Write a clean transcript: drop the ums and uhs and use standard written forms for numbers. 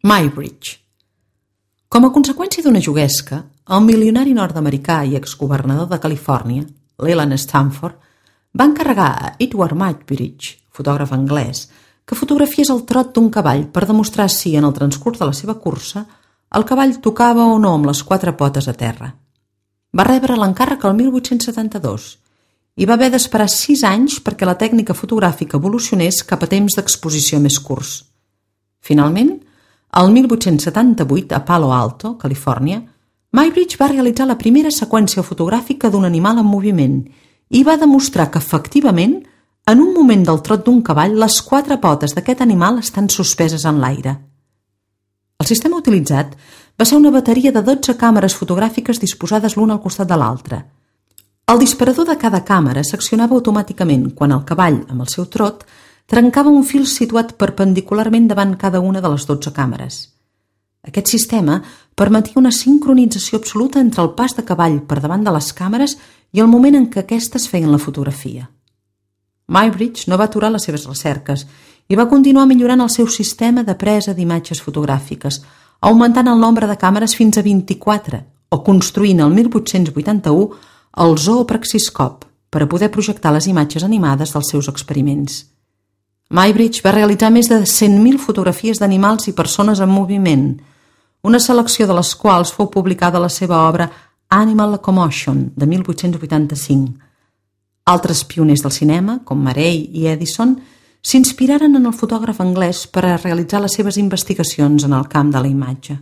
Muybridge. Com a conseqüència d'una juguesca, el milionari nord-americà i exgovernador de Califòrnia, Leland Stanford, va encarregar a Edward Muybridge, fotògraf anglès, que fotografiés el trot d'un cavall per demostrar si, en el transcurs de la seva cursa, el cavall tocava o no amb les quatre potes a terra. Va rebre l'encàrrec el 1872 i va haver d'esperar 6 anys perquè la tècnica fotogràfica evolucionés cap a temps d'exposició més curts. Finalment, el 1878, a Palo Alto, Califòrnia, Muybridge va realitzar la primera seqüència fotogràfica d'un animal en moviment i va demostrar que, efectivament, en un moment del trot d'un cavall, les quatre potes d'aquest animal estan suspeses en l'aire. El sistema utilitzat va ser una bateria de 12 càmeres fotogràfiques disposades l'una al costat de l'altra. El disparador de cada càmera s'accionava automàticament quan el cavall, amb el seu trot, trencava un fil situat perpendicularment davant cada una de les 12 càmeres. Aquest sistema permetia una sincronització absoluta entre el pas de cavall per davant de les càmeres i el moment en què aquestes feien la fotografia. Muybridge no va aturar les seves recerques i va continuar millorant el seu sistema de presa d'imatges fotogràfiques, augmentant el nombre de càmeres fins a 24 o construint el 1881 el zoopraxiscop per a poder projectar les imatges animades dels seus experiments. Muybridge va realitzar més de 100.000 fotografies d'animals i persones en moviment, una selecció de les quals fou publicada a la seva obra Animal Locomotion, de 1885. Altres pioners del cinema, com Marey i Edison, s'inspiraren en el fotògraf anglès per a realitzar les seves investigacions en el camp de la imatge.